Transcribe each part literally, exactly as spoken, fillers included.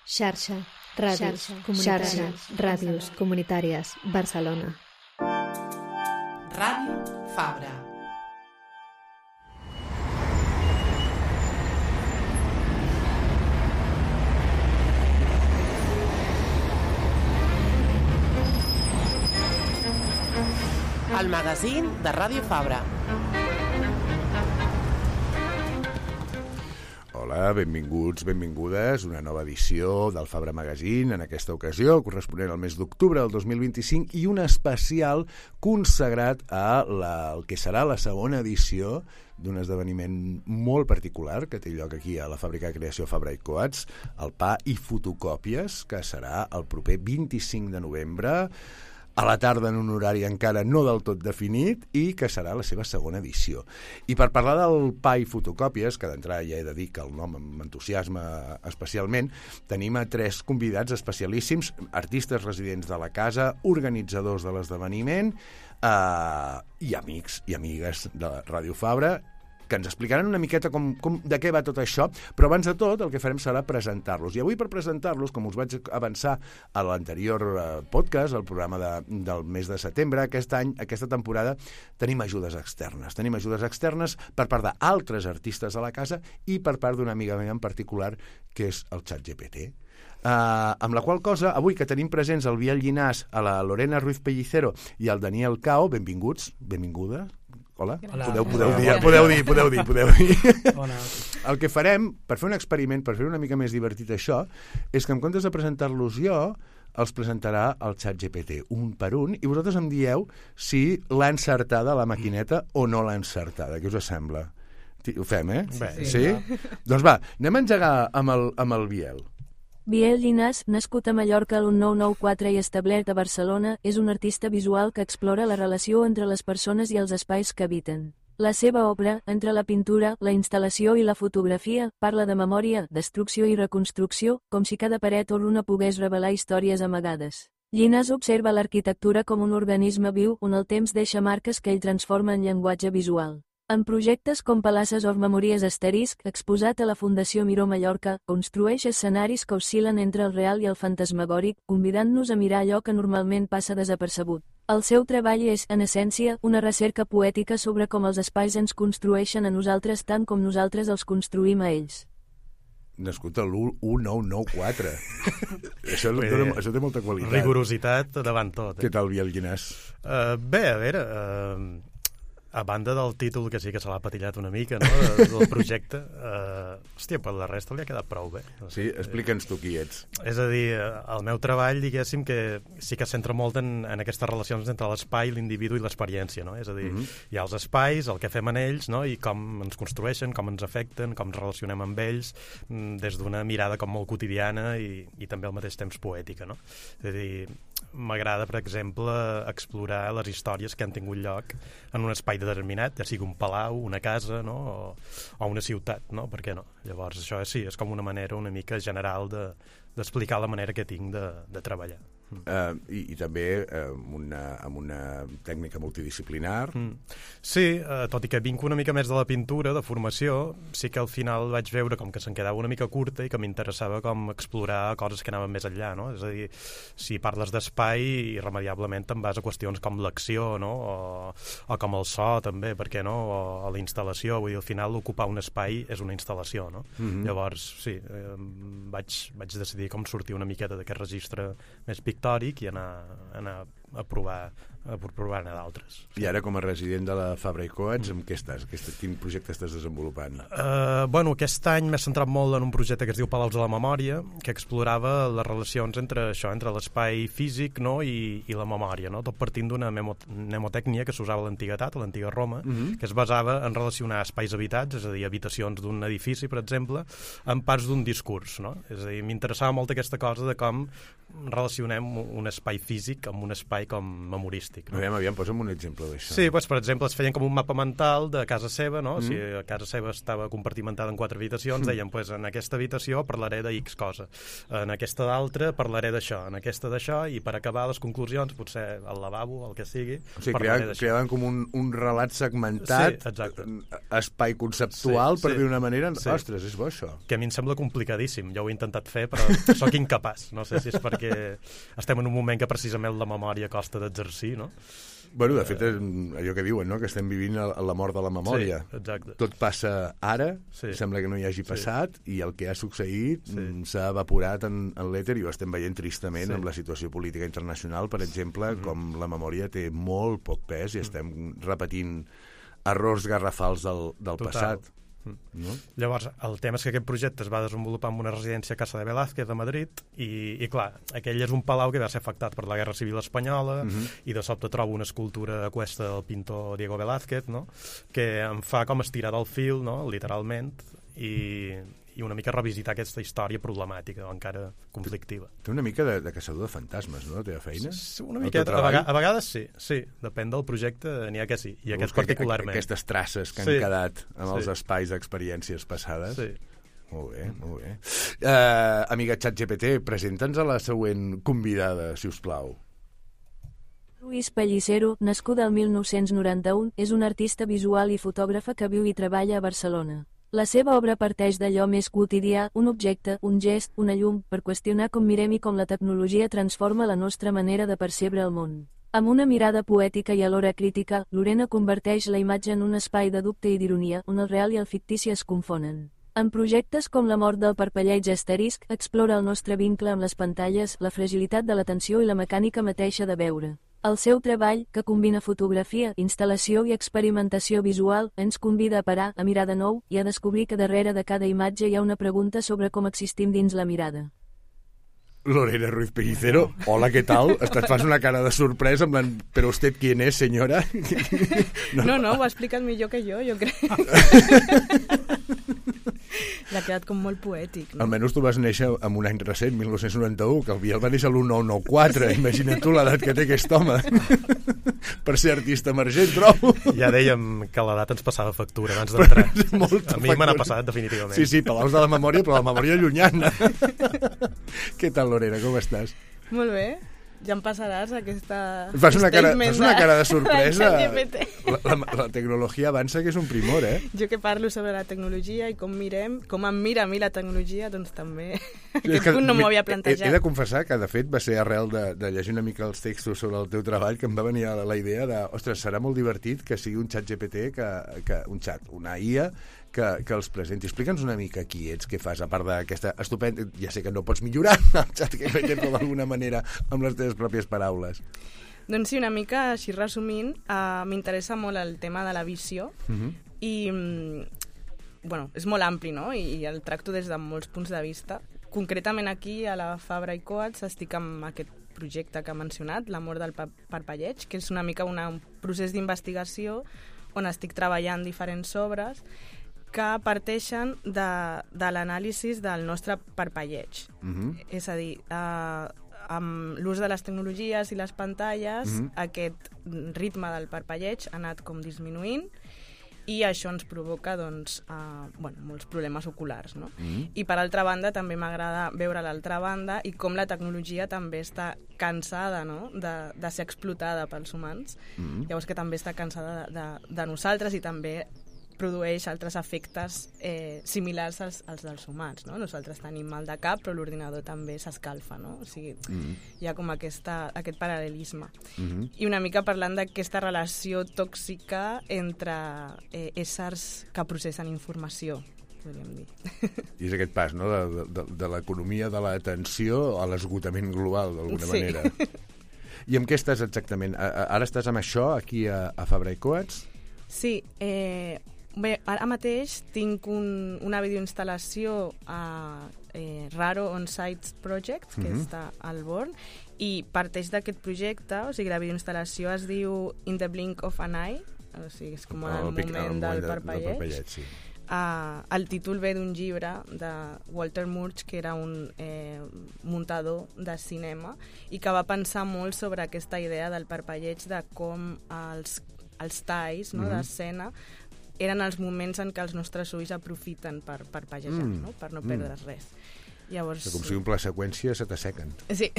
Xarxa, ràdios, comunitàries, ràdios comunitàries, Barcelona. Ràdio Fabra. El magazín de Ràdio Fabra. Hola, benvinguts, benvingudes, una nova edició del Fabra Magazine, en aquesta ocasió, corresponent al mes d'octubre del dos mil vint-i-cinc, i un especial consagrat a la, el que serà la segona edició d'un esdeveniment molt particular que té lloc aquí a la fàbrica de creació Fabra i Coats, el Pa i Fotocòpies, que serà el proper vint-i-cinc de novembre, a la tarda en un horari encara no del tot definit, i que serà la seva segona edició. I per parlar del Pa i Fotocòpies, que d'entrada ja he de dir que el nom m'entusiasma especialment, tenim a tres convidats especialíssims, artistes residents de la casa, organitzadors de l'esdeveniment eh, i amics i amigues de Ràdio Fabra, que ens explicaran una miqueta com, com, de què va tot això, però abans de tot el que farem serà presentar-los. I avui, per presentar-los, com us vaig avançar a l'anterior eh, podcast, el programa de, del mes de setembre, aquest any, aquesta temporada, tenim ajudes externes. Tenim ajudes externes per part d'altres artistes a la casa i per part d'una amiga meva en particular, que és el ChatGPT. Uh, amb la qual cosa, avui que tenim presents el Biel Llinàs, a la Lorena Ruiz Pellicero i el Daniel Cao, benvinguts, benvinguda. Hola. Hola. Podeu, podeu, dir, podeu dir, podeu dir, podeu dir. Hola. El que farem, per fer un experiment, per fer una mica més divertit això, és que en comptes de presentar-los jo, els presentarà el ChatGPT, un per un, i vosaltres em dieu si l'ha encertada la maquineta o no l'ha encertada. Què us sembla? Ho fem, eh? Bé, sí? sí? Doncs va, anem a engegar amb el, amb el Biel. Biel Llinàs, nascut a Mallorca el nou nou quatre i establert a Barcelona, és un artista visual que explora la relació entre les persones i els espais que habiten. La seva obra, entre la pintura, la instal·lació i la fotografia, parla de memòria, destrucció i reconstrucció, com si cada paret o runa pogués revelar històries amagades. Llinàs observa l'arquitectura com un organisme viu on el temps deixa marques que ell transforma en llenguatge visual. En projectes com Palaces of Memories Asterisc, exposat a la Fundació Miró Mallorca, construeix escenaris que oscil·len entre el real i el fantasmagòric, convidant-nos a mirar allò que normalment passa desapercebut. El seu treball és, en essència, una recerca poètica sobre com els espais ens construeixen a nosaltres tant com nosaltres els construïm a ells. Nascut a l'u nou nou quatre. això, dona, això té molta qualitat. Rigorositat davant tot. Eh? Què tal, Biel Llinàs? Uh, bé, a veure... Uh... A banda del títol, que sí que se l'ha patillat una mica, no?, del projecte, eh, hòstia, per la resta li ha quedat prou bé. Sí? Explica'ns tu qui ets. És a dir, el meu treball, diguéssim, que sí que es centra molt en, en aquestes relacions entre l'espai, l'individu i l'experiència, no? És a dir, mm-hmm. hi ha els espais, el que fem en ells, no?, i com ens construeixen, com ens afecten, com ens relacionem amb ells, des d'una mirada com molt quotidiana i, i també al mateix temps poètica, no? És a dir, m'agrada, per exemple, explorar les històries que han tingut lloc en un espai determinat, ja sigui un palau, una casa, no?, o, o una ciutat, no? Per què no? Llavors, això sí, és com una manera una mica general de, d'explicar la manera que tinc de, de treballar. Uh, i, i també uh, amb, una, amb una tècnica multidisciplinar. Mm. Sí, uh, tot i que vinc una mica més de la pintura, de formació, sí que al final vaig veure com que se'n quedava una mica curta i que m'interessava com explorar coses que anaven més enllà, no? És a dir, si parles d'espai, irremediablement te'n vas a qüestions com l'acció, no? O, o com el so, també, per què no? O, o la instal·lació, vull dir, al final ocupar un espai és una instal·lació, no? Mm-hmm. Llavors, sí, eh, vaig, vaig decidir com sortir una miqueta d'aquest registre més pictòric i anar, anar a provar a provar-ne d'altres. I ara, com a resident de la Fabra i Coats, amb què estàs? Quin projecte estàs desenvolupant? Uh, bueno, aquest any m'he centrat molt en un projecte que es diu Palaus de la Memòria, que explorava les relacions entre això, entre l'espai físic, no?, i, i la memòria, no?, tot partint d'una mnemotècnia que s'usava a l'antiguitat, a l'antiga Roma, mm-hmm. que es basava en relacionar espais habitats, és a dir, habitacions d'un edifici, per exemple, amb parts d'un discurs, no? És a dir, m'interessava molt aquesta cosa de com relacionem un espai físic amb un espai com memorista. turístic. No? Aviam, aviam, posa'm un exemple d'això. Sí, doncs, per exemple, es feien com un mapa mental de casa seva, no? Mm. Si a casa seva estava compartimentada en quatre habitacions, deien, pues, en aquesta habitació parlaré de X cosa, en aquesta d'altra parlaré d'això, en aquesta d'això, i per acabar les conclusions, potser al lavabo, el que sigui, O sigui, parlaré creaven, d'això. creaven com un, un relat segmentat, Sí, exacte. espai conceptual, Sí, per sí. dir una manera. Sí. Ostres, és bo, això. Que a mi em sembla complicadíssim. Jo ho he intentat fer, però sóc incapaç. No sé si és perquè estem en un moment que precisament la memòria costa d'exercir, no? Bueno, de fet, és allò que diuen, no?, que estem vivint a la mort de la memòria. Sí, exacte. Tot passa ara, Sí. sembla que no hi hagi Sí. passat, i el que ha succeït Sí. mm, s'ha evaporat en, en l'èter, i ho estem veient tristament Sí. amb la situació política internacional, per exemple, Mm-hmm. com la memòria té molt poc pes i estem repetint errors garrafals del, del Total. passat. Mm. No? Llavors, el tema és que aquest projecte es va desenvolupar en una residència a Casa de Velázquez de Madrid i, i clar, aquell és un palau que va ser afectat per la Guerra Civil Espanyola, Mhm. i de sobte trobo una escultura aquesta del pintor Diego Velázquez, no?, que em fa com estirar del fil, no?, literalment, i, i una mica revisitar aquesta història problemàtica o encara conflictiva. Té una mica de, de caçador de fantasmes, no?, la teva feina? Sí, una El miqueta, teu a, treball? vega, a vegades sí, sí, depèn del projecte, n'hi ha que sí, i aquest Busca particularment. Aquestes traces que han Sí. quedat amb Sí. els espais d'experiències passades. Sí. Molt bé, molt bé. Uh, amiga ChatGPT, presenta'ns a la següent convidada, si us plau. Luis Pellicero, nascuda el mil nou-cents noranta-u, és un artista visual i fotògrafa que viu i treballa a Barcelona. La seva obra parteix d'allò més quotidià, un objecte, un gest, una llum, per qüestionar com mirem i com la tecnologia transforma la nostra manera de percebre el món. Amb una mirada poètica i alhora crítica, Lorena converteix la imatge en un espai de dubte i d'ironia, on el real i el fictici es confonen. En projectes com La mort del parpelleig asterisc, explora el nostre vincle amb les pantalles, la fragilitat de l'atenció i la mecànica mateixa de veure. El seu treball, que combina fotografia, instal·lació i experimentació visual, ens convida a parar, a mirar de nou, i a descobrir que darrere de cada imatge hi ha una pregunta sobre com existim dins la mirada. Lorena Ruiz Pellicero, hola, què tal? Et fas una cara de sorpresa, en plan, però usted quién es, senyora? No, no, ho ha explicat millor que jo, jo crec. L'ha quedat com molt poètic, no? Almenys tu vas néixer en un any recent, mil nou-cents noranta-u, que el Biel va néixer a l'mil nou-cents noranta-quatre. Sí. Imagina't tu l'edat que té aquest home. Per ser artista emergent, trobo. Ja dèiem que l'edat ens passava factura abans d'entrar. A mi me n'ha passat, definitivament. Sí, sí, palaus de la memòria, però la memòria llunyana. Què tal, Lorena, com estàs? Molt bé. Ja em passaràs aquesta... Fas una cara, statement fas una cara de sorpresa. ChatGPT. La, la, la tecnologia avança, que és un primor, eh? Jo que parlo sobre la tecnologia i com mirem, com em mira a mi la tecnologia, doncs també És aquest que punt no m'ho havia He, he plantejat. de confessar que, de fet, va ser arrel de, de llegir una mica els textos sobre el teu treball que em va venir la, la idea de, ostres, serà molt divertit que sigui un xat G P T, que, que, un xat, una I A, que, que els presenti. Explica'ns una mica qui ets, què fas, a part d'aquesta estupenda... Ja sé que no pots millorar el xat G P T, però d'alguna manera amb les teves pròpies paraules. Doncs sí, una mica així resumint, uh, m'interessa molt el tema de la visió Uh -huh. i, mm, bueno, és molt ampli, no? I, i el tracto des de molts punts de vista. Concretament aquí, a la Fabra i Coats, estic amb aquest projecte que ha mencionat, La mort del pa parpelleig, que és una mica una, un procés d'investigació on estic treballant diferents obres que parteixen de, de l'anàlisi del nostre parpelleig. Uh -huh. És a dir, eh, amb l'ús de les tecnologies i les pantalles, Mhm. aquest ritme del parpelleig ha anat com disminuint i això ens provoca doncs, eh, bueno, molts problemes oculars. No? Mhm. I per altra banda també m'agrada veure l'altra banda i com la tecnologia també està cansada, no? de, de ser explotada pels humans. Mhm. Llavors que també està cansada de, de, de nosaltres i també produeix altres efectes eh, similars als, als dels humans. No? Nosaltres tenim mal de cap, però l'ordinador també s'escalfa. No? O sigui, Mhm. hi ha com aquesta, aquest paral·lelisme. Mhm. I una mica parlant d'aquesta relació tòxica entre eh, éssers que processen informació, podríem dir. I és aquest pas, no?, de, de, de l'economia de l'atenció a l'esgotament global, d'alguna Sí. manera. I amb què estàs exactament? A, a, ara estàs amb això, aquí a, a Fabra i Coats? Sí, eh, bé, ara mateix tinc un, una videoinstal·lació a eh, Raro On-Site Project, que Mhm. està al Born, i parteix d'aquest projecte, o sigui, la videoinstal·lació es diu In the Blink of an Eye, o sigui, és com en el, pic- moment el del de- parpelleig. parpelleig, sí. Uh, el títol ve d'un llibre de Walter Murch, que era un eh, muntador de cinema i que va pensar molt sobre aquesta idea del parpelleig, de com els, els talls, no, mm-hmm. d'escena eren els moments en què els nostres ulls aprofiten per parpellejar, mm. no? Per no perdre mm. res. Llavors, com si un pla seqüència se t'assequen. Sí.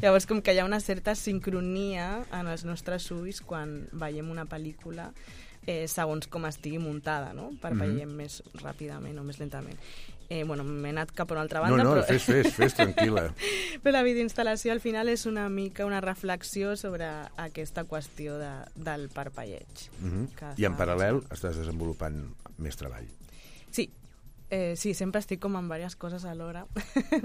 Llavors, com que hi ha una certa sincronia en els nostres ulls quan veiem una pel·lícula, eh, segons com estigui muntada, no? Parpellem mm-hmm. més ràpidament o més lentament. Eh, bueno, m'he anat cap a una altra banda. No, no, però... fes, fes, fes, tranquil·la. Però la videoinstal·lació al final és una mica una reflexió sobre aquesta qüestió de, del parpelleig. Mm-hmm. I en paral·lel estàs desenvolupant més treball. Sí, eh, sí, sempre estic com en diverses coses alhora,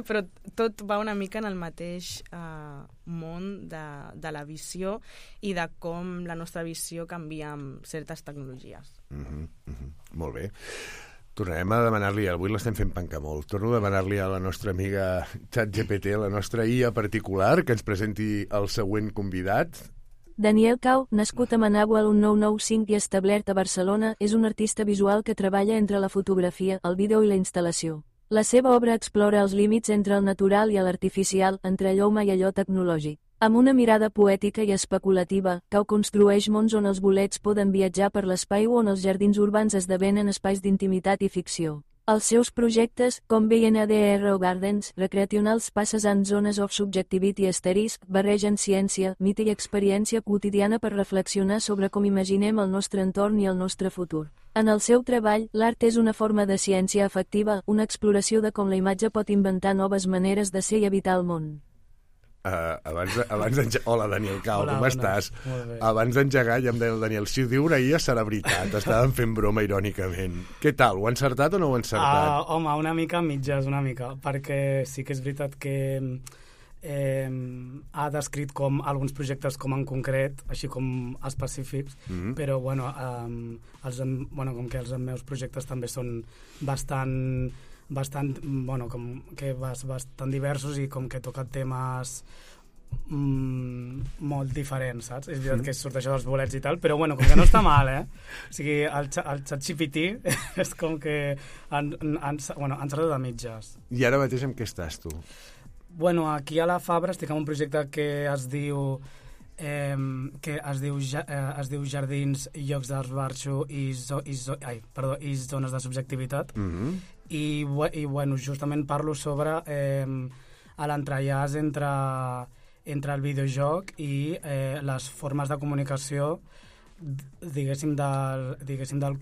però tot va una mica en el mateix eh, món de, de la visió i de com la nostra visió canvia amb certes tecnologies. Mm-hmm, mm-hmm. Molt bé. Tornarem a demanar-li, avui l'estem fent pencar molt, torno a demanar-li a la nostra amiga ChatGPT, la nostra I A particular, que ens presenti el següent convidat. Daniel Cau, nascut a Managua el nou nou cinc i establert a Barcelona, és un artista visual que treballa entre la fotografia, el vídeo i la instal·lació. La seva obra explora els límits entre el natural i l'artificial, entre allò humà i allò tecnològic. Amb una mirada poètica i especulativa, Cau construeix mons on els bolets poden viatjar per l'espai o on els jardins urbans esdevenen espais d'intimitat i ficció. Els seus projectes, com B N D R o Gardens, recreationals passes en zones of subjectivity asterisc, barregen ciència, mite i experiència quotidiana per reflexionar sobre com imaginem el nostre entorn i el nostre futur. En el seu treball, l'art és una forma de ciència efectiva, una exploració de com la imatge pot inventar noves maneres de ser i habitar el món. Uh, abans, abans d'engegar... Hola, Daniel Cau, Hola, com bones. estàs? Molt bé. Abans d'engegar ja em deia el Daniel, si ho diu una I A serà veritat, estàvem fent broma irònicament. Què tal, ho ha encertat o no ho ha encertat? Uh, home, una mica mitges, una mica, perquè sí que és veritat que eh, ha descrit com alguns projectes com en concret, així com específics, mm-hmm. però bueno, um, els, bueno, com que els meus projectes també són bastant... bastant, bueno, com que bastant diversos i com que toca temes mm, molt diferents, saps? És veritat mm. que surt això dels bolets i tal, però bueno, com que no està mal, eh? O sigui, el, el ChatGPT és com que han, han, bueno, han certat de mitges. I ara mateix amb què estàs, tu? Bueno, aquí a la Fabra estic en un projecte que es diu eh, que es diu, eh, es diu Jardins, Llocs d'Esbarxo i, zo, i, zo, ai, perdó, i Zones de Subjectivitat. Mm-hmm. I, i bueno, justament parlo sobre eh, l'entrellàs entre, entre el videojoc i eh, les formes de comunicació diguéssim del, diguéssim del,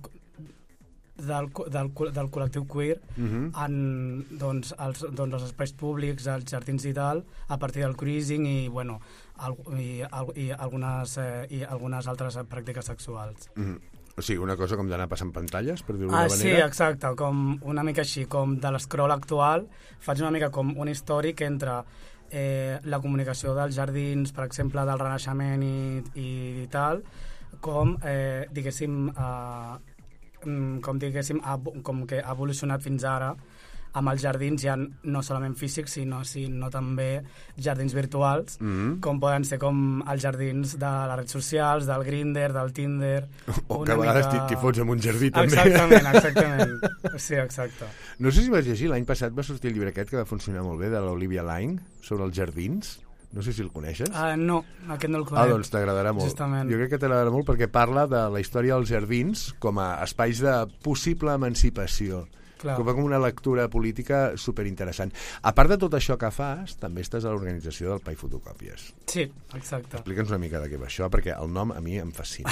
del, del, del col·lectiu queer mm-hmm. en doncs, els, doncs, els espais públics, els jardins i tal, a partir del cruising i, bueno, al, i, i, algunes, eh, i algunes altres pràctiques sexuals. Mm-hmm. O sigui, una cosa com d'anar passant pantalles, per dir-ho ah, d'una manera? Sí, exacte, com una mica així, com de l'escroll actual, faig una mica com un històric entre eh, la comunicació dels jardins, per exemple, del Renaixement i, i, i tal, com, eh, diguéssim, eh, com, diguéssim com que ha evolucionat fins ara, amb els jardins ja no solament físics, sinó, sinó també jardins virtuals, mm-hmm. com poden ser com els jardins de les redes socials, del Grindr, del Tinder... O que a vegades mica... t'hi fots en un jardí, també. Exactament, exactament. Sí, exacte. No sé si vas llegir, l'any passat va sortir el llibre aquest que va funcionar molt bé, de l'Olivia Laing, sobre els jardins. No sé si el coneixes. Uh, no, aquest no el conec. Ah, doncs t'agradarà molt. Justament. Jo crec que t'agradarà molt perquè parla de la història dels jardins com a espais de possible emancipació. Clar. Com una lectura política superinteressant. A part de tot això que fas, també estàs a l'organització del Pai Fotocòpies. Sí, exacte. Explica'ns una mica de què va això, perquè el nom a mi em fascina.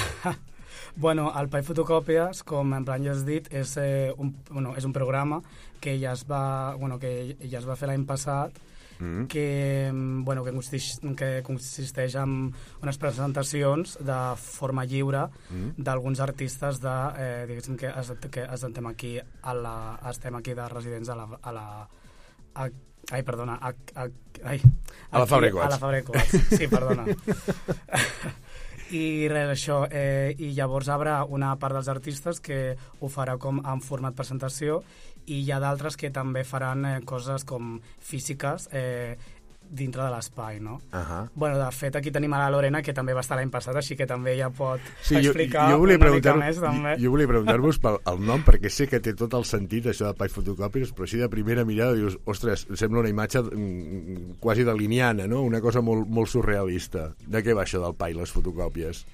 Bueno, el Pai Fotocòpies, com en plan ja has dit, és, eh, un, bueno, és un programa que ja es va, bueno, que ja es va fer l'any passat, Mm. que, bueno, que, consisteix, que consisteix en unes presentacions de forma lliure mm. d'alguns artistes de, eh, diguéssim que, es, que estem aquí a la, estem aquí de residents a la, a la a, ai, perdona a, a, ai, a la Fabra i Coats. A la Fabra i Coats, sí, perdona. I res, això, eh, i llavors hi haurà una part dels artistes que ho farà com en format presentació i hi ha d'altres que també faran eh, coses com físiques, eh, dintre de l'espai, no? Uh -huh. Bueno, de fet, aquí tenim a la Lorena, que també va estar l'any passat, així que també ja pot sí, explicar jo, jo volia una mica més, jo, també. jo volia preguntar-vos pel el nom, perquè sé que té tot el sentit, això de Pai Fotocòpies, però així de primera mirada dius, ostres, sembla una imatge mm, quasi daliniana, no? Una cosa molt, molt surrealista. De què va això del Pai, les fotocòpies?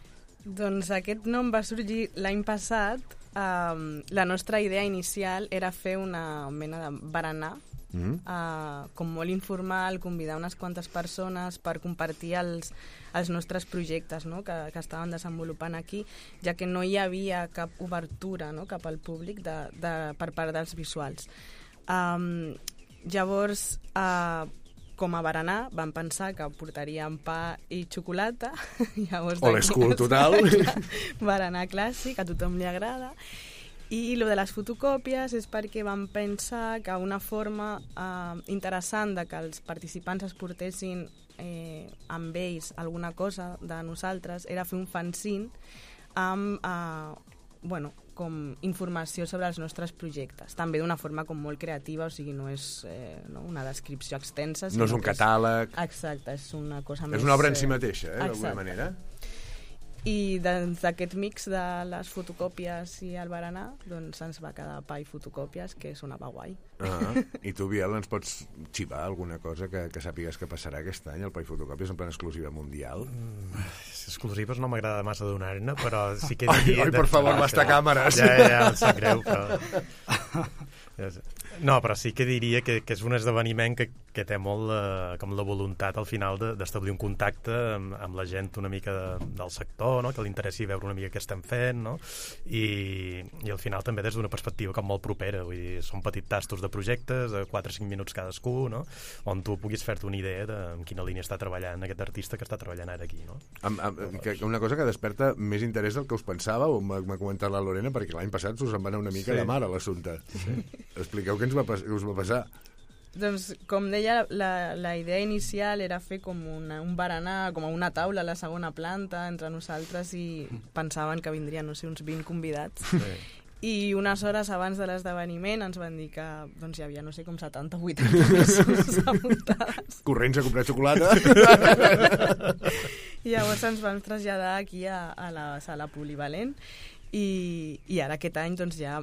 Doncs aquest nom va sorgir l'any passat. Um, la nostra idea inicial era fer una mena de berenar, mm. uh, com molt informal, convidar unes quantes persones per compartir els, els nostres projectes, no? que, que estaven desenvolupant aquí, ja que no hi havia cap obertura, no? cap al públic de, de, per part dels visuals. Um, llavors, uh, com a berenar, vam pensar que portaríem pa i xocolata. Old school total. Berenar clàssic, a tothom li agrada. I lo de les fotocòpies és perquè vam pensar que una forma eh, interessant de que els participants es portessin eh, amb ells alguna cosa de nosaltres era fer un fanzine amb eh, bueno, com informació sobre els nostres projectes. També d'una forma com molt creativa, o sigui, no és eh, no, una descripció extensa. No és un catàleg. És, exacte, és una cosa més... És una obra en si mateixa, eh, d'alguna manera. I d'aquest mix de les fotocòpies i el berenar, doncs ens va quedar Pa i Fotocòpies, que sonava guai. Uh-huh. I tu, Biel, ens pots xivar alguna cosa que, que sàpigues que passarà aquest any, el Pa i Fotocòpies, en plan exclusiva mundial? Mm, exclusives no m'agrada massa donar-ne, però sí que diria... Ai, ai, per favor, basta càmeres! Ja, ja, ja, em sap greu, però... No, però sí que diria que, que és un esdeveniment que, que té molt eh, com la voluntat al final d'establir un contacte amb, amb la gent una mica de, del sector, no? Que li interessi veure una mica què estem fent, no? I, i al final també des d'una perspectiva com molt propera, vull dir, són petits tastos de projectes de quatre o cinc minuts cadascú, no? On tu puguis fer-te una idea de en quina línia està treballant aquest artista que està treballant ara aquí, no? Amb, amb, que, una cosa que desperta més interès del que us pensava, o m'ha comentat la Lorena, perquè l'any passat us en va anar una mica sí. de mar a l'assumpte. Sí. Expliqueu què ens va, què us va passar. Doncs, com deia, la, la idea inicial era fer com una, un berenar, com una taula a la segona planta entre nosaltres i pensaven que vindrien, no sé, uns vint convidats. Sí. I unes hores abans de l'esdeveniment ens van dir que doncs, hi havia, no sé, com setanta o vuitanta persones apuntades. Corrents a comprar xocolata. I llavors ens vam traslladar aquí a, a la sala polivalent i, i ara aquest any doncs ja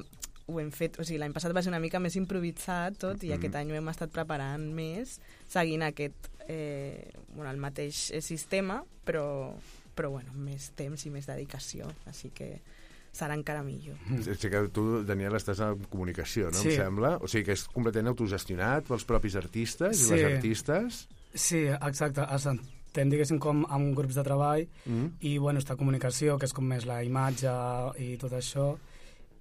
ho hem fet, o sigui, l'any passat va ser una mica més improvisat tot, i mm. aquest any ho hem estat preparant més, seguint aquest, eh, bueno, el mateix sistema, però, però bueno, més temps i més dedicació, així que serà encara millor. Sí que tu, Daniel, estàs en comunicació, no? Sí. Em sembla. O sigui que és completament autogestionat pels propis artistes sí. i les artistes. Sí, exacte. Estem, diguéssim, com amb grups de treball mm. i, bueno, està comunicació, que és com més la imatge i tot això,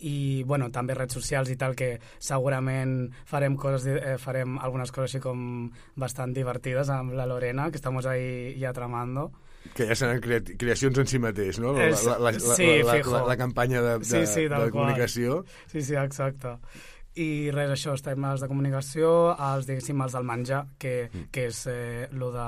i bueno, també redes socials i tal, que segurament farem coses eh, farem algunes coses així com bastant divertides amb la Lorena, que estamos ahí ja tramando. Que ja seran crea creacions en si mateix, no? La, la, la, sí, la, la, la, la campanya de, de, sí, sí, de comunicació. Sí, sí, exacte. I res, això, estem els de comunicació, els, diguéssim, els del menjar, que, mm. que és eh, lo de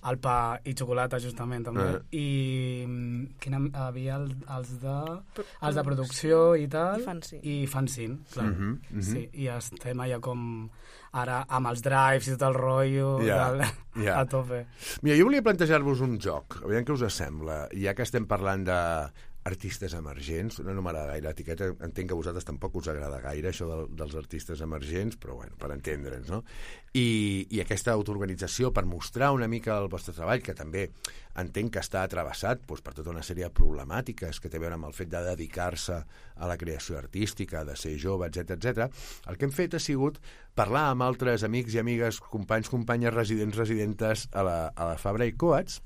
el pa i xocolata, justament, també. Uh. I quina, havia el, els, de, els de producció i tal. I fanzine. I fanzine, clar. Uh -huh, uh -huh. Sí, i estem allà com ara amb els drives i tot el rotllo yeah, del, yeah. a tope. Mira, jo volia plantejar-vos un joc, aviam què us sembla, ja que estem parlant de artistes emergents, no, no m'agrada gaire l'etiqueta, entenc que a vosaltres tampoc us agrada gaire això del, dels artistes emergents, però bueno, per entendre'ns, no? I, i aquesta autoorganització per mostrar una mica el vostre treball, que també entenc que està travessat doncs, per tota una sèrie de problemàtiques que té a veure amb el fet de dedicar-se a la creació artística, de ser jove, etcètera, etcètera. El que hem fet ha sigut parlar amb altres amics i amigues, companys, companyes, residents, residentes a la, a la Fabra i Coats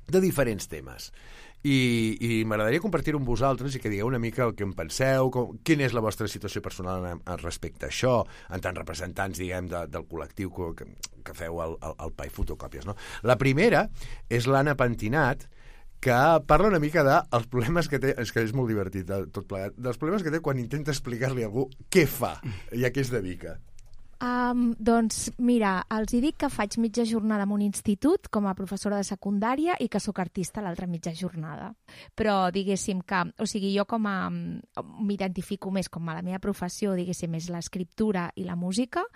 de diferents temes. I, i m'agradaria compartir-ho amb vosaltres i que digueu una mica el que en penseu, com, quina és la vostra situació personal en, en respecte a això, en tant representants, diguem, de, del col·lectiu que, que feu el, el, el Pa i Fotocòpies, no? La primera és l'Anna Pentinat, que parla una mica dels problemes que té, és que és molt divertit tot plegat, dels problemes que té quan intenta explicar-li a algú què fa i a què es dedica. Um, doncs mira, els hi dic que faig mitja jornada en un institut com a professora de secundària i que sóc artista a l'altra mitja jornada. Però diguéssim que, o sigui, jo com a m'identifico més com a la meva professió, diguéssim, és l'escriptura i la música,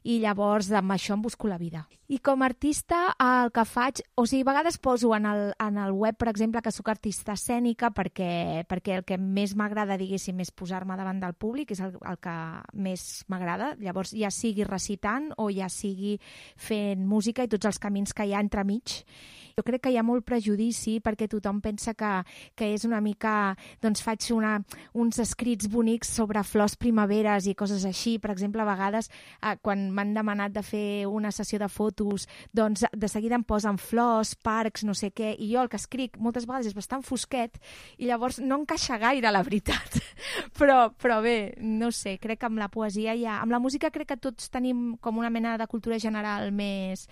i llavors amb això em busco la vida. I com a artista el que faig, o sigui, a vegades poso en el, en el web, per exemple, que sóc artista escènica perquè, perquè el que més m'agrada, diguéssim, és posar-me davant del públic, és el, el que més m'agrada. Llavors, ja sigui recitant o ja sigui fent música i tots els camins que hi ha entremig. Jo crec que hi ha molt prejudici perquè tothom pensa que, que és una mica... Doncs faig una, uns escrits bonics sobre flors primaveres i coses així. Per exemple, a vegades, eh, quan m'han demanat de fer una sessió de fotos, doncs de seguida em posen flors, parcs, no sé què, i jo el que escric moltes vegades és bastant fosquet i llavors no encaixa gaire, la veritat. Però, però bé, no sé, crec que amb la poesia ja... Amb la música crec que tots tenim com una mena de cultura general més,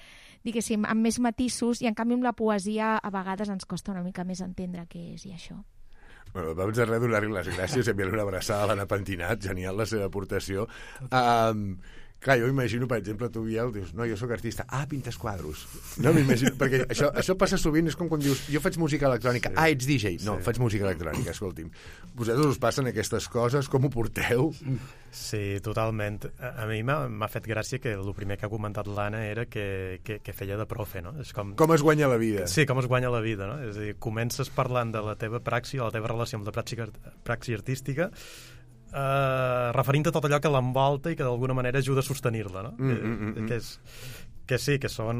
diguéssim, amb més matisos, i en canvi amb la poesia a vegades ens costa una mica més entendre què és i això. Bueno, vamos a donar-li les gràcies, enviar-li una abraçada a l'Anna Pentinat, genial la seva aportació. Um, clar, jo imagino, per exemple, tu, Biel, dius, no, jo sóc artista, ah, pintes quadros. No m'imagino, perquè això, això passa sovint, és com quan dius, jo faig música electrònica, sí. Ah, ets D J. No, sí. Faig música electrònica, escolti'm. Vosaltres us passen aquestes coses, com ho porteu? Sí, totalment. A, a mi m'ha fet gràcia que el primer que ha comentat l'Anna era que, que, que feia de profe, no? És com... com es guanya la vida. Sí, com es guanya la vida, no? És a dir, comences parlant de la teva praxi, de la teva relació amb la praxi, praxi artística, Uh, referint a tot allò que l'envolta i que d'alguna manera ajuda a sostenir-la, no? Mm, mm, mm, mm. Que, és, que sí, que són,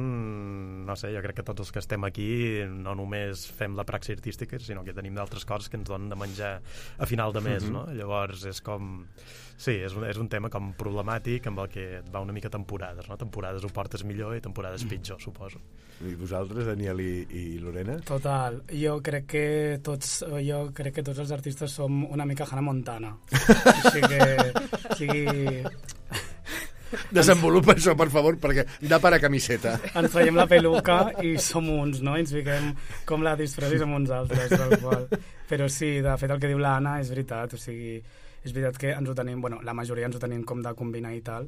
no sé, jo crec que tots els que estem aquí no només fem la praxi artística, sinó que tenim d'altres coses que ens donen de menjar a final de mes, mm-hmm. no? Llavors és com... Sí, és un, és un tema com problemàtic amb el que et va una mica temporades, no? Temporades ho portes millor i temporades pitjor, suposo. I vosaltres, Daniel i, i Lorena? Total. Jo crec que tots jo crec que tots els artistes som una mica Hannah Montana. Així que... O sigui... Desenvolupa això, per favor, perquè da per a camiseta. Ens traiem la peluca i som uns, no? I ens fiquem com la disfressa i som uns altres, tal qual. Però sí, de fet, el que diu l'Anna és veritat, o sigui... És veritat que ens ho tenim, bueno, la majoria ens ho tenim com de combinar i tal.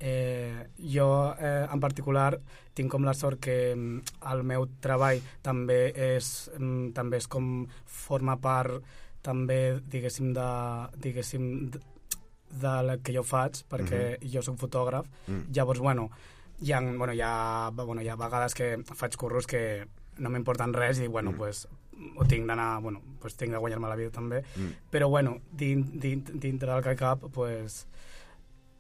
Eh, jo, eh, en particular, tinc com la sort que el meu treball també és, també és com forma part, també, diguéssim, de, diguéssim, de, de la que jo faig, perquè mm-hmm. jo soc fotògraf. Mm. Llavors, bueno, hi ha, bueno, hi ha, bueno, hi ha vegades que faig curros que no m'importen res i, bueno, mm. pues, o tinc d'anar, bueno, pues tinc de guanyar-me la vida també, mm. però bueno, din, din, dintre del que cap, pues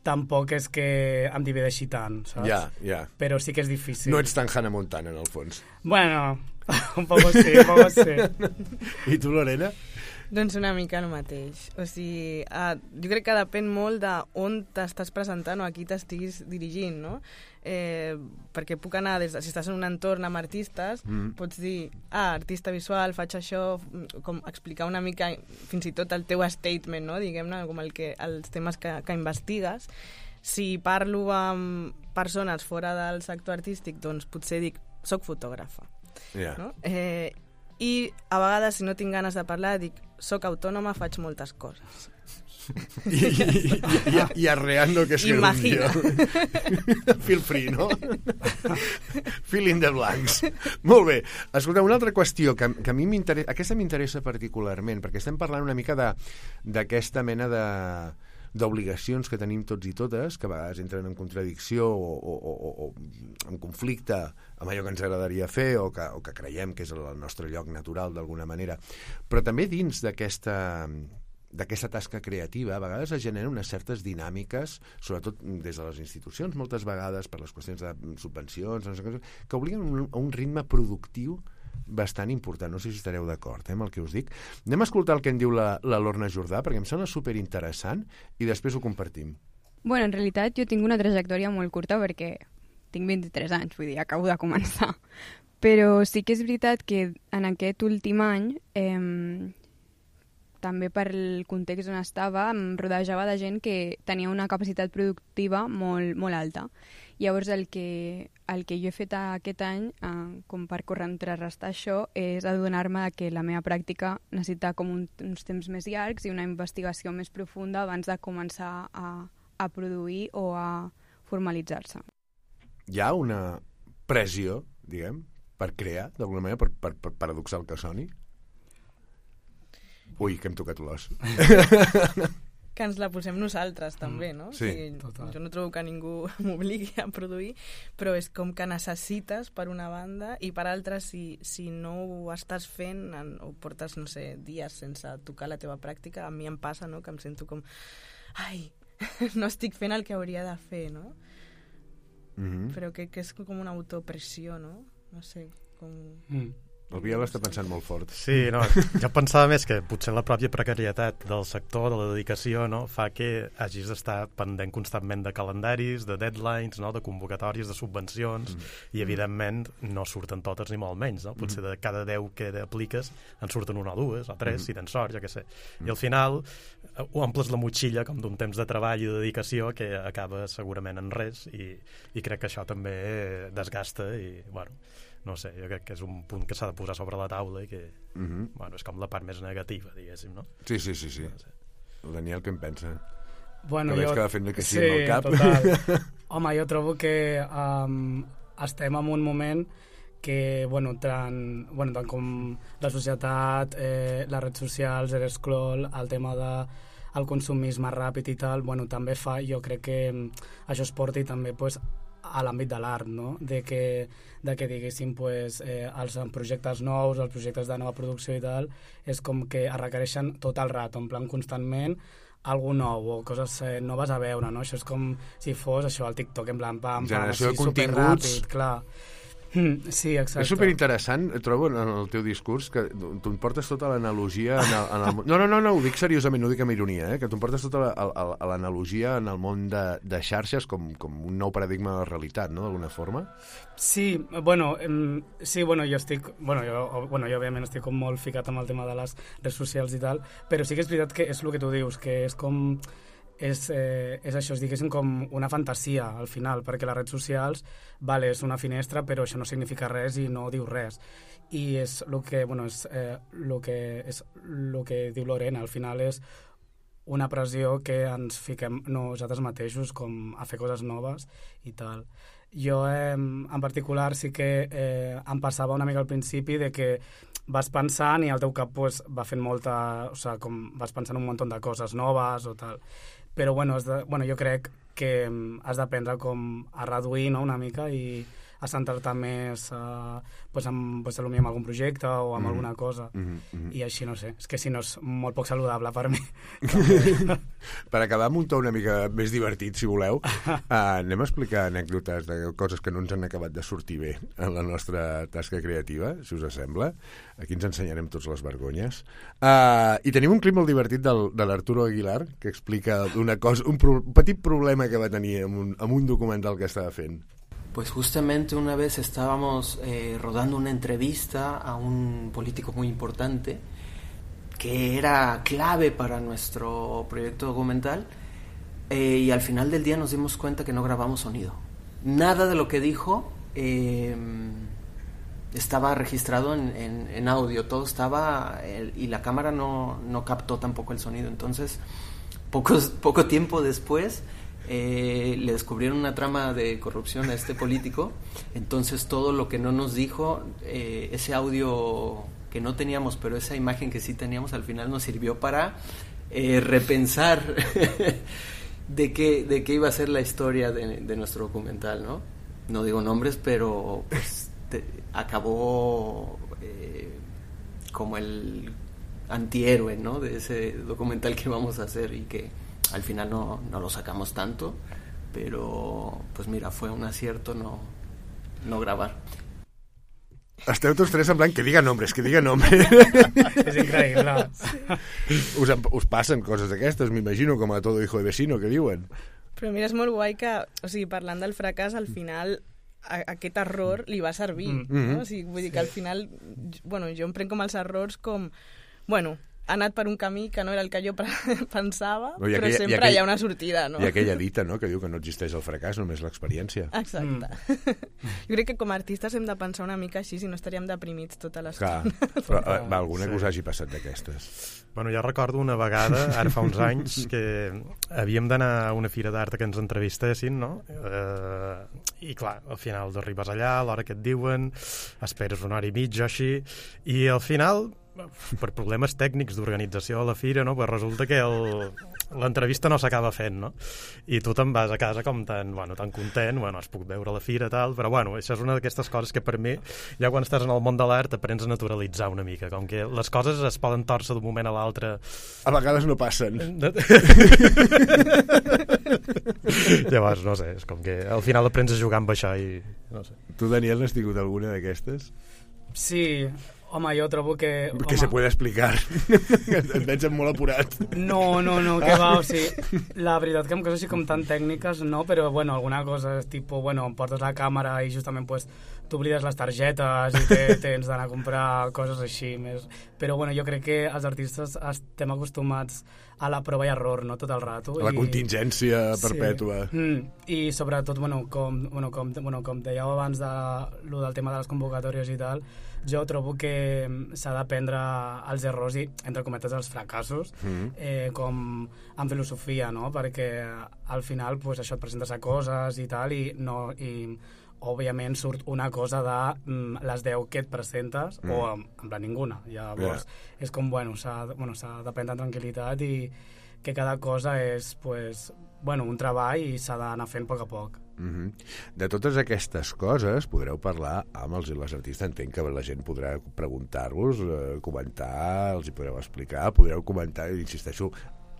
tampoc és que em divideixi tant, saps? Ja, ja. Però sí que és difícil. No ets tan Hannah Montana, en el fons. Bueno, un poco sí, un poco sí. I tu, Lorena? Doncs una mica el mateix. O sigui, uh, jo crec que depèn molt d'on t'estàs presentant o a qui t'estiguis dirigint, no? Eh, perquè puc anar des de, si estàs en un entorn amb artistes, mm. pots dir, ah, artista visual, faig això, com explicar una mica fins i tot el teu statement, no? Diguem-ne, com el que, els temes que, que investigues. Si parlo amb persones fora del sector artístic, doncs potser dic, soc fotògrafa. Yeah. No? Eh, I a vegades, si no tinc ganes de parlar, dic, soc autònoma, faig moltes coses. I, i, i, i arreando que es Imagina. Feel free, no? Fill in the blanks. Molt bé. Escolta, una altra qüestió que, que a mi m'interessa, aquesta m'interessa particularment, perquè estem parlant una mica d'aquesta mena de d'obligacions que tenim tots i totes, que a vegades entren en contradicció o, o, o, o en conflicte amb allò que ens agradaria fer o que, o que creiem que és el nostre lloc natural d'alguna manera. Però també dins d'aquesta d'aquesta tasca creativa, a vegades es generen unes certes dinàmiques, sobretot des de les institucions, moltes vegades per les qüestions de subvencions, no sé, que obliguen a un ritme productiu bastant important. No sé si estareu d'acord eh, amb el que us dic. Anem a escoltar el que en diu la, la Lorna Jordà, perquè em sembla superinteressant, i després ho compartim. Bueno, en realitat jo tinc una trajectòria molt curta perquè tinc vint-i-tres anys, vull dir, acabo de començar. Però sí que és veritat que en aquest últim any, eh, també per el context on estava, em rodejava de gent que tenia una capacitat productiva molt, molt alta. Llavors el que, el que jo he fet aquest any, eh, com per contrarrestar això, és adonar-me que la meva pràctica necessita com un, uns temps més llargs i una investigació més profunda abans de començar a, a produir o a formalitzar-se. Hi ha una pressió, diguem, per crear, d'alguna manera, per, per, per paradoxal que soni? Ui, que hem tocat l'os. que ens la posem nosaltres també, no? Sí, o sigui, total. jo no trobo que ningú m'obligui a produir, però és com que necessites per una banda i per altra si, si no ho estàs fent en, o portes, no sé, dies sense tocar la teva pràctica, a mi em passa, no?, que em sento com ai, no estic fent el que hauria de fer, no? Mm-hmm. Però que, que és com una autopressió, no? No sé, com... Mm. El Biel està pensant molt fort. Sí, no, jo pensava més que potser la pròpia precarietat del sector, de la dedicació, no, fa que hagis d'estar pendent constantment de calendaris, de deadlines, no, de convocatòries, de subvencions, mm. i evidentment no surten totes ni molt menys, no? Potser de cada deu que apliques en surten una o dues, o tres, mm. si tens sort, jo què sé. Mm. I al final ho omples la motxilla com d'un temps de treball i de dedicació que acaba segurament en res, i, i crec que això també desgasta i, bueno... no sé, jo crec que és un punt que s'ha de posar sobre la taula i que, mm-hmm. bueno, és com la part més negativa, diguéssim, no? Sí, sí, sí, sí. No sé. El Daniel, què en pensa? Bueno, que jo... veig que va fent que sí, sí amb el cap. Total. Home, jo trobo que um, estem en un moment que, bueno, tant, bueno, tant com la societat, eh, les redes socials, el scroll, el tema de el consumisme ràpid i tal, bueno, també fa, jo crec que això es porti també, pues, a l'àmbit de l'art, no? De que, de que diguéssim, pues, eh, els projectes nous, els projectes de nova producció i tal, és com que es requereixen tot el rato, en plan constantment, algú nou o coses eh, noves a veure, no? Això és com si fos això, el TikTok, en plan, pam, pam, generació així, de continguts. superràpid, clar. Sí, exacte. És superinteressant, trobo, en el teu discurs, que tu em portes tota l'analogia en el, en el... No, no, no, no, ho dic seriosament, no ho dic amb ironia, eh? Que tu em portes tota l'analogia en el món de, de xarxes com, com un nou paradigma de la realitat, no?, d'alguna forma. Sí, bueno, em, sí, bueno, jo estic... Bueno jo, bueno, jo òbviament estic com molt ficat amb el tema de les redes socials i tal, però sí que és veritat que és el que tu dius, que és com... És, eh, és això, és diguéssim com una fantasia al final, perquè les redes socials vale, és una finestra, però això no significa res i no diu res, i és el que, bueno, és, eh, lo que, és lo que diu Lorena, al final és una pressió que ens fiquem nosaltres mateixos com a fer coses noves i tal. Jo eh, en particular sí que eh, em passava una mica al principi de que vas pensant i el teu cap pues, va fent molta... O sigui, com vas pensant un munt de coses noves o tal. Però bueno, has de, bueno, jo crec que has d'aprendre com a reduir, no?, una mica i a centrar-te més uh, pues amb, pues, potser amb algun projecte o amb mm. alguna cosa. Mm -hmm. I així, no sé, és que si no és molt poc saludable per mi. Per acabar amb un to una mica més divertit, si voleu, uh, anem a explicar anècdotes de coses que no ens han acabat de sortir bé en la nostra tasca creativa, si us sembla. Aquí ens ensenyarem tots les vergonyes. Uh, I tenim un clip molt divertit del, de l'Arturo Aguilar, que explica una cosa, un, pro, un petit problema que va tenir amb un, amb un documental que estava fent. Pues justamente una vez estábamos eh, rodando una entrevista a un político muy importante que era clave para nuestro proyecto documental eh, y al final del día nos dimos cuenta que no grabamos sonido. Nada de lo que dijo eh, estaba registrado en, en, en audio, todo estaba el, y la cámara no, no captó tampoco el sonido. Entonces, pocos, poco tiempo después... Eh, le descubrieron una trama de corrupción a este político, entonces todo lo que no nos dijo, eh, ese audio que no teníamos, pero esa imagen que sí teníamos, al final nos sirvió para eh, repensar de qué, de qué iba a ser la historia de, de nuestro documental, ¿no? No digo nombres, pero pues te, acabó eh, como el antihéroe, ¿no?, de ese documental que vamos a hacer y que al final no, no lo sacamos tanto, pero pues mira, fue un acierto no, no grabar. Esteu tots tres en plan que diga nombres, que diga nombres. És increïble. Us, us passen coses d'aquestes, m'imagino, com a todo hijo de vecino, que diuen. Però mira, és molt guai que, o sigui, parlant del fracàs, al final a, aquest error li va servir, mm-hmm. no? O sigui, vull dir que al final, bueno, jo em prenc com els errors com, bueno, ha anat per un camí que no era el que jo pensava, no, però aquella, sempre aquell, hi ha una sortida, no? I aquella dita, no?, que diu que no existeix el fracàs, només l'experiència. Exacte. Mm. Jo crec que com a artistes hem de pensar una mica així, si no estaríem deprimits tota l'estona. Clar, però uh, va, alguna sí. que us hagi passat d'aquestes. Bueno, jo recordo una vegada, ara fa uns anys, que havíem d'anar a una fira d'art que ens entrevistessin, no? Uh, I clar, al final arribes allà, a l'hora que et diuen, esperes una hora i mitja així, i al final per problemes tècnics d'organització a la fira, no? Pues resulta que l'entrevista no s'acaba fent, no? I tu te'n vas a casa com tan, bueno, tan content, bueno, es puc veure a la fira, tal, però bueno, això és una d'aquestes coses que per mi, ja quan estàs en el món de l'art, aprens a naturalitzar una mica, com que les coses es poden torcer d'un moment a l'altre. A vegades no passen. Llavors, no sé, és com que al final aprens a jugar amb això i no sé. Tu, Daniel, n'has tingut alguna d'aquestes? Sí, home, jo trobo que... Que home, se puede explicar. Et veig molt apurat. No, no, no, que va, o sigui, la veritat que amb coses així com tan tècniques, no, però, bueno, alguna cosa és tipus, bueno, em portes la càmera i justament, pues, t'oblides les targetes i te, tens d'anar a comprar coses així, més... Però, bueno, jo crec que els artistes estem acostumats a la prova i error, no?, tot el rato. A la i... contingència perpètua. Sí. Mm. I, sobretot, bueno, com, bueno, com, bueno, com dèieu abans de, lo del tema de les convocatòries i tal, jo trobo que s'ha d'aprendre els errors i, entre cometes, els fracassos, mm. eh, com en filosofia, no?, perquè al final, pues, això et presentes a coses i tal, i no... I, òbviament surt una cosa de mm, les deu que et presentes mm. o en, en plan ninguna. Llavors yeah. és com, bueno, s'ha bueno, d'aprendre amb tranquil·litat i que cada cosa és, pues, bueno, un treball i s'ha d'anar fent a poc a poc. Mm-hmm. De totes aquestes coses podreu parlar amb els i les artistes. Entenc que la gent podrà preguntar-vos, eh, comentar, els hi podreu explicar, podreu comentar, insisteixo,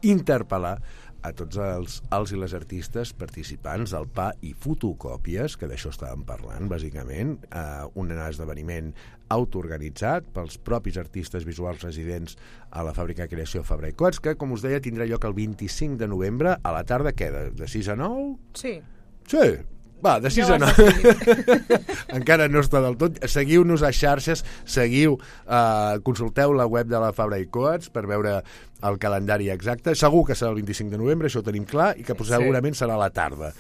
interpel·lar a tots els, els i les artistes participants del Pa i Fotocòpies, que d'això estàvem parlant, bàsicament, eh, un esdeveniment autoorganitzat pels propis artistes visuals residents a la fàbrica de creació Fabra i Coats, que, com us deia, tindrà lloc el vint-i-cinc de novembre a la tarda, què, de, de sis a nou? Sí. Sí, va, de sis a nou. Encara no està del tot. Seguiu-nos a xarxes, seguiu, eh, consulteu la web de la Fabra i Coats per veure el calendari exacte. Segur que serà el vint-i-cinc de novembre, això ho tenim clar, i que sí. segurament serà a la tarda.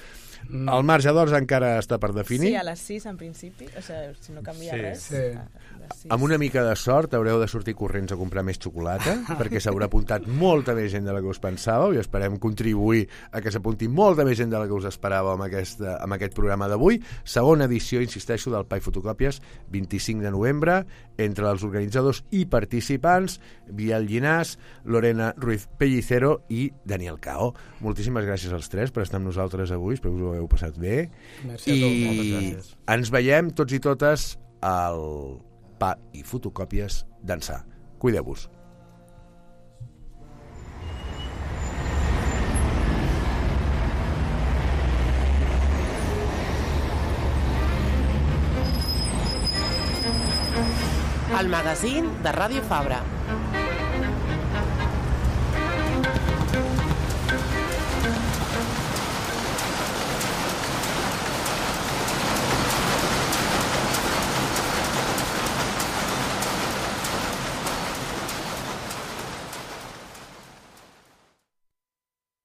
Mm. El marge d'hores encara està per definir. Sí, a les sis en principi, o sigui, si no canvia sí. res. Sí. Amb una mica de sort haureu de sortir corrents a comprar més xocolata, perquè s'haurà apuntat molta més gent de la que us pensàveu i esperem contribuir a que s'apunti molta més gent de la que us esperàveu amb, aquesta, amb aquest programa d'avui. Segona edició, insisteixo, del Pa i Fotocòpies, vint-i-cinc de novembre, entre els organitzadors i participants, Biel Llinàs, Lorena Ruiz Pellicero i Daniel Cao. Moltíssimes gràcies als tres per estar amb nosaltres avui, espero que us ho heu passat bé. Merci a tots, moltes I gràcies. ens veiem tots i totes al Pa i Fotocòpies d'ençà. Cuideu-vos. El magazín de Ràdio Fabra.